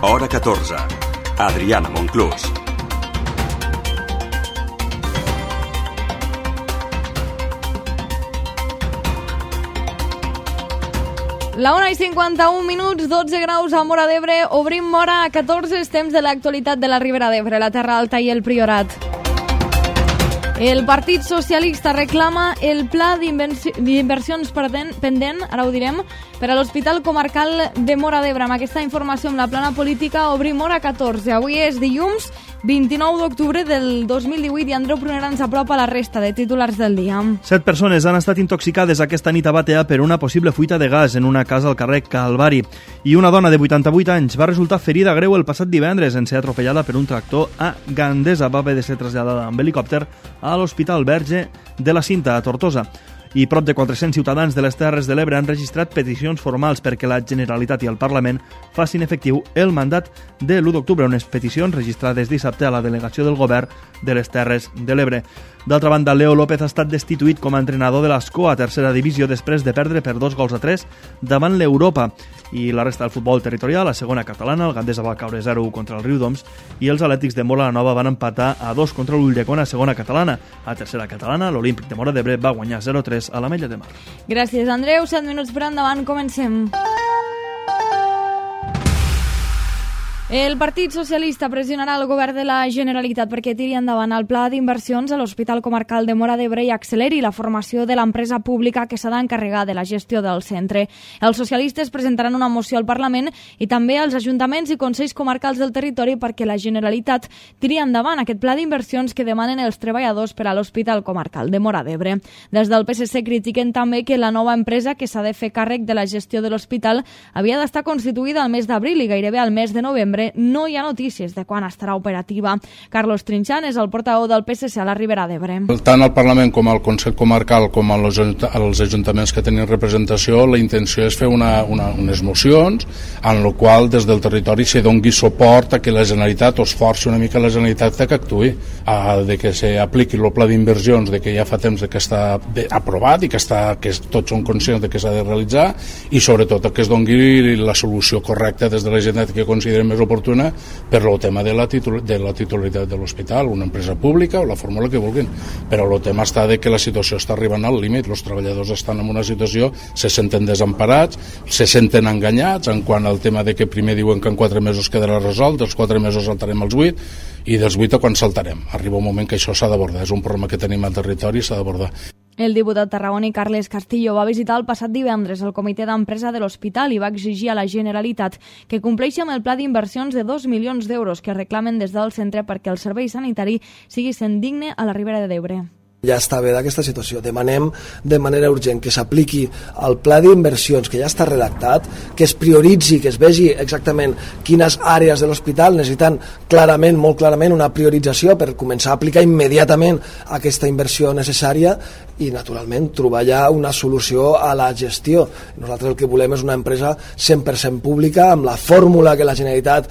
Hora 14. Adriana Monclús. La 1:51, 12 graus a Móra d'Ebre. Obrim Móra a 14, temps de l'actualitat de la Ribera d'Ebre, la Terra Alta i el Priorat. El Partit Socialista reclama el pla d'inversions pendent, ara ho direm, per a l'Hospital Comarcal de Móra d'Ebre. Amb aquesta informació amb la plana política obrim Hora 14. Avui és dilluns 29 d'octubre del 2018 i Andreu Prunera ens apropa la resta de titulars del dia. 7 persones han estat intoxicades aquesta nit a Batea per una possible fuita de gas en una casa al carrer Calvari. I una dona de 88 anys va resultar ferida greu el passat divendres en ser atropellada per un tractor a Gandesa. Va haver de ser traslladada amb helicòpter a l'Hospital Verge de la Cinta, a Tortosa. I prop de 400 ciutadans de les Terres de l'Ebre han registrat peticions formals perquè la Generalitat i el Parlament facin efectiu el mandat de l'1 d'octubre, unes peticions registrades dissabte a la delegació del govern de les Terres de l'Ebre. D'altra banda, Leo López ha estat destituït com a entrenador de l'Escó a tercera divisió després de perdre per 2-3 davant l'Europa. I la resta del futbol territorial, a segona catalana, el Gandesa va caure 0-1 contra el Riudoms i els Atlètics de Móra la Nova van empatar a 2 contra l'Ulldecona a segona catalana. A tercera catalana, l'Olímpic de Móra d'Ebre va guanyar 0-3 a l'Ametlla de Mar. Gràcies, Andreu. 7 minuts per endavant, comencem. El Partit Socialista pressionarà el govern de la Generalitat perquè tiri endavant el pla d'inversions a l'Hospital Comarcal de Móra d'Ebre i acceleri la formació de l'empresa pública que s'ha d'encarregar de la gestió del centre. Els socialistes presentaran una moció al Parlament i també als ajuntaments i consells comarcals del territori perquè la Generalitat tiri endavant aquest pla d'inversions que demanen els treballadors per a l'Hospital Comarcal de Móra d'Ebre. Des del PSC critiquen també que la nova empresa que s'ha de fer càrrec de la gestió de l'hospital havia d'estar constituïda al mes d'abril i gairebé al mes de novembre no hi ha notícies de quan estarà operativa. Carlos Trinxant és el portaveu del PSC a la Ribera d'Ebre. Tant al Parlament com al Consell Comarcal com als ajuntaments que tenen representació, la intenció és fer unes mocions en la qual des del territori se doni suport a que la Generalitat o es forci una mica la Generalitat que actuï, de que s'apliqui el pla d'inversions de que ja fa temps que està aprovat i que tots són conscients de que s'ha de realitzar i sobretot que es doni la solució correcta des de la Generalitat que considerem més oportuna per el tema de la titularitat de l'hospital, una empresa pública o la fórmula que vulguin, però el tema està de que la situació està arribant al límit, els treballadors estan en una situació, se senten desemparats, se senten enganyats en quant al tema de que primer diuen que en 4 mesos quedarà resolt, dels 4 mesos saltarem als 8 i dels 8 a quan saltarem. Arriba un moment que això s'ha d'abordar, és un problema que tenim al territori i s'ha d'abordar. El diputat tarragoní Carles Castillo va visitar el passat divendres el comitè d'empresa de l'hospital i va exigir a la Generalitat que compleixi amb el pla d'inversions de 2 milions d'euros que reclamen des del centre perquè el servei sanitari sigui sent digne a la Ribera d'Ebre. Ja està bé d'aquesta situació. Demanem de manera urgent que s'apliqui el pla d'inversions que ja està redactat, que es prioritzi, que es vegi exactament quines àrees de l'hospital necessiten clarament, molt clarament, una priorització per començar a aplicar immediatament aquesta inversió necessària i, naturalment, trobar ja una solució a la gestió. Nosaltres el que volem és una empresa 100% pública, amb la fórmula que la Generalitat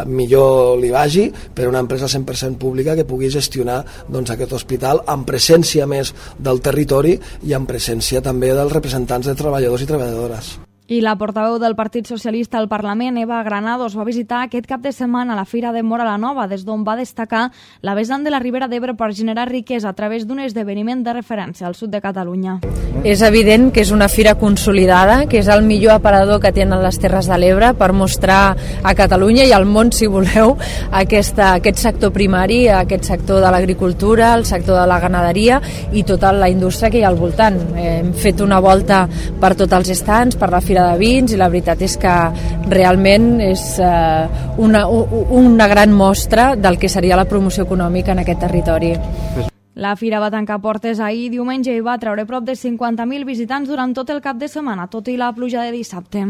millor li vagi, però una empresa 100% pública que pugui gestionar aquest hospital amb presència més del territori i en presència també dels representants de treballadors i treballadores. I la portaveu del Partit Socialista al Parlament, Eva Granados, va visitar aquest cap de setmana la Fira de Móra la Nova, des d'on va destacar la vessant de la Ribera d'Ebre per generar riquesa a través d'un esdeveniment de referència al sud de Catalunya. És evident que és una fira consolidada, que és el millor aparador que tenen les Terres de l'Ebre per mostrar a Catalunya i al món, si voleu, aquest sector primari, aquest sector de l'agricultura, el sector de la ganaderia i tota la indústria que hi ha al voltant. Hem fet una volta per tots els estants, per la Fira de Vins, i la veritat és que realment és una gran mostra del que seria la promoció econòmica en aquest territori. La fira va tancar portes ahir diumenge i va treure prop de 50.000 visitants durant tot el cap de setmana, tot i la pluja de dissabte.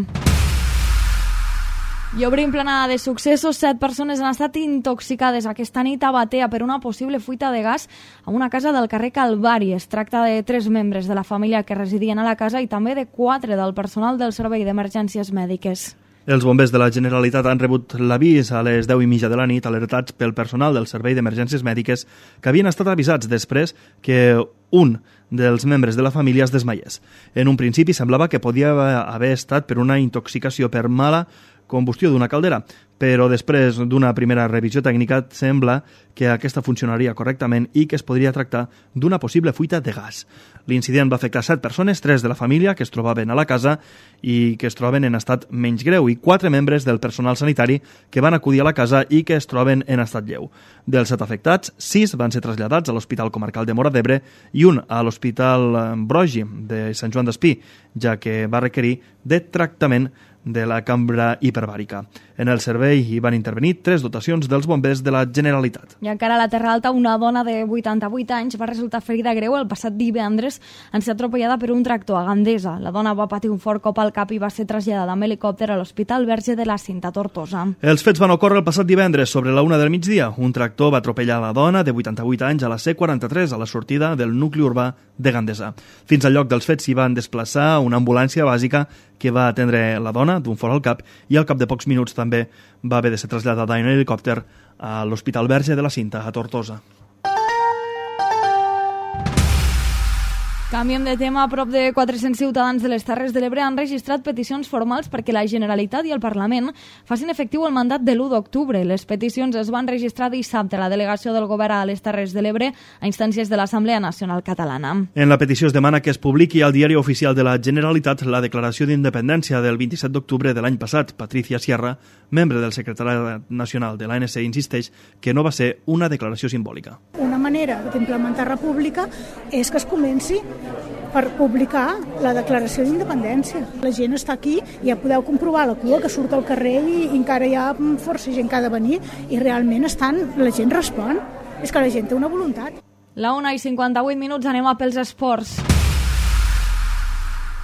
I obrim planada de successos. 7 persones han estat intoxicades aquesta nit a Batea per una possible fuita de gas a una casa del carrer Calvari. Es tracta de 3 membres de la família que residien a la casa i també de 4 del personal del Servei d'Emergències Mèdiques. Els bombers de la Generalitat han rebut l'avís a les 10:30 de la nit, alertats pel personal del Servei d'Emergències Mèdiques que havien estat avisats després que un dels membres de la família es desmaiés. En un principi semblava que podia haver estat per una intoxicació per mala combustió d'una caldera, però després d'una primera revisió tècnica sembla que aquesta funcionaria correctament i que es podria tractar d'una possible fuita de gas. L'incident va afectar 7 persones, 3 de la família que es trobaven a la casa i que es troben en estat menys greu i 4 membres del personal sanitari que van acudir a la casa i que es troben en estat lleu. Dels 7 afectats, 6 van ser traslladats a l'Hospital Comarcal de Móra d'Ebre i un a l'Hospital Brogi de Sant Joan d'Espí, ja que va requerir de tractament de la cambra hiperbàrica. En el servei hi van intervenir 3 dotacions dels bombers de la Generalitat. I encara a la Terra Alta, una dona de 88 anys va resultar ferida greu el passat divendres en ser atropellada per un tractor a Gandesa. La dona va patir un fort cop al cap i va ser traslladada amb helicòpter a l'Hospital Verge de la Cinta, Tortosa. Els fets van ocórrer el passat divendres sobre la 1 del migdia. Un tractor va atropellar la dona de 88 anys a la C43 a la sortida del nucli urbà de Gandesa. Fins al lloc dels fets s'hi van desplaçar una ambulància bàsica que va atendre la dona d'un fort al cap i al cap de pocs minuts també va haver de ser traslladada en helicòpter a l'Hospital Verge de la Cinta, a Tortosa. Canviem de tema. Prop de 400 ciutadans de les Terres de l'Ebre han registrat peticions formals perquè la Generalitat i el Parlament facin efectiu el mandat de l'1 d'octubre. Les peticions es van registrar dissabte a la delegació del Govern a les Terres de l'Ebre a instàncies de l'Assemblea Nacional Catalana. En la petició es demana que es publiqui al Diari Oficial de la Generalitat la declaració d'independència del 27 d'octubre de l'any passat. Patricia Sierra, membre del Secretariat Nacional de l'ANC, insisteix que no va ser una declaració simbòlica. Una manera d'implementar república és que es comenci per publicar la declaració d'independència. La gent està aquí, ja podeu comprovar la cua que surt al carrer i encara hi ha força gent que ha de venir i realment la gent respon. És que la gent té una voluntat. La 1:58, anem a pels esports.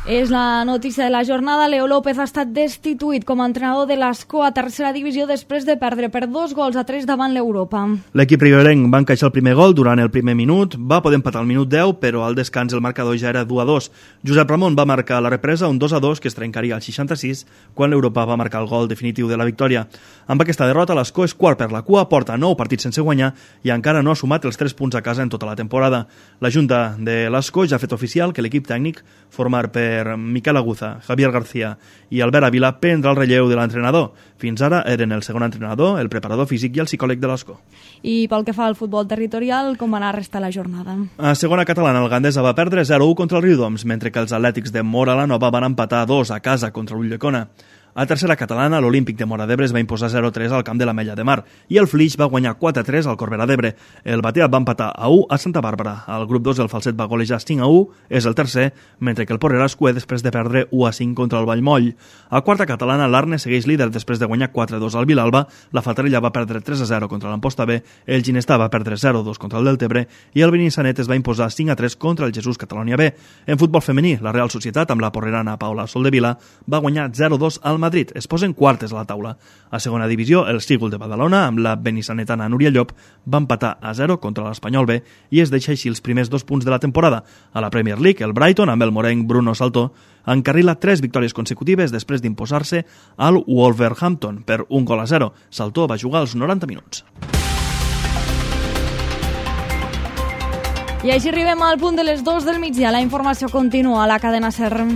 És la notícia de la jornada. Leo López ha estat destituït com a entrenador de l'Ascó a tercera divisió després de perdre per 2-3 davant l'Europa. L'equip riberenc va encaixar el primer gol durant el primer minut, va poder empatar al minut 10, però al descans el marcador ja era 2-2. Josep Ramon va marcar la represa, un 2-2 que es trencaria al 66, quan l'Europa va marcar el gol definitiu de la victòria. Amb aquesta derrota, l'Ascó és quart per la cua, porta 9 partits sense guanyar i encara no ha sumat els 3 punts a casa en tota la temporada. La Junta de l'Ascó ja ha fet oficial que l'equip tècnic, format per Miquel Aguza, Javier García i Albert Ávila, prendrà el relleu de l'entrenador. Fins ara eren el segon entrenador, el preparador físic i el psicòleg de l'Ascó. I pel que fa al futbol territorial, com va anar a restar la jornada? A segona catalana, el Gandesa va perdre 0-1 contra el Riudoms, mentre que els atlètics de Móra la Nova van empatar 2 a casa contra l'Ulldecona. A tercera catalana, l'Olímpic de Móra d'Ebre es va imposar 0-3 al camp de l'Ametlla de Mar i el Flix va guanyar 4-3 al Corbera d'Ebre. El Batea va empatar a 1 a Santa Bàrbara. Al grup 2 el Falset va golejar 5-1, és el tercer, mentre que el Porrera es cué després de perdre 1-5 contra el Vallmoll. A quarta catalana, l'Arne segueix líder després de guanyar 4-2 al Vilalba, la Fatarella va perdre 3-0 contra l'Amposta B, el Ginestà va perdre 0-2 contra el Deltebre i el Benissanet es va imposar 5-3 contra el Jesús Catalunya B. En futbol femení, la Real Societat, amb la porrerana Paula Soldevila, va guanyar 0-2 al Madrid. Es posen quartes a la taula. A segona divisió, el Sígol de Badalona, amb la benissanetana Núria Llop, va empatar a 0 contra l'Espanyol B i es deixa així els primers 2 punts de la temporada. A la Premier League, el Brighton, amb el morenc Bruno Saltó, encarrila 3 victòries consecutives després d'imposar-se al Wolverhampton per 1-0. Saltó va jugar els 90 minuts. I així arribem al punt de les 2 del migdia. La informació continua a la cadena SER.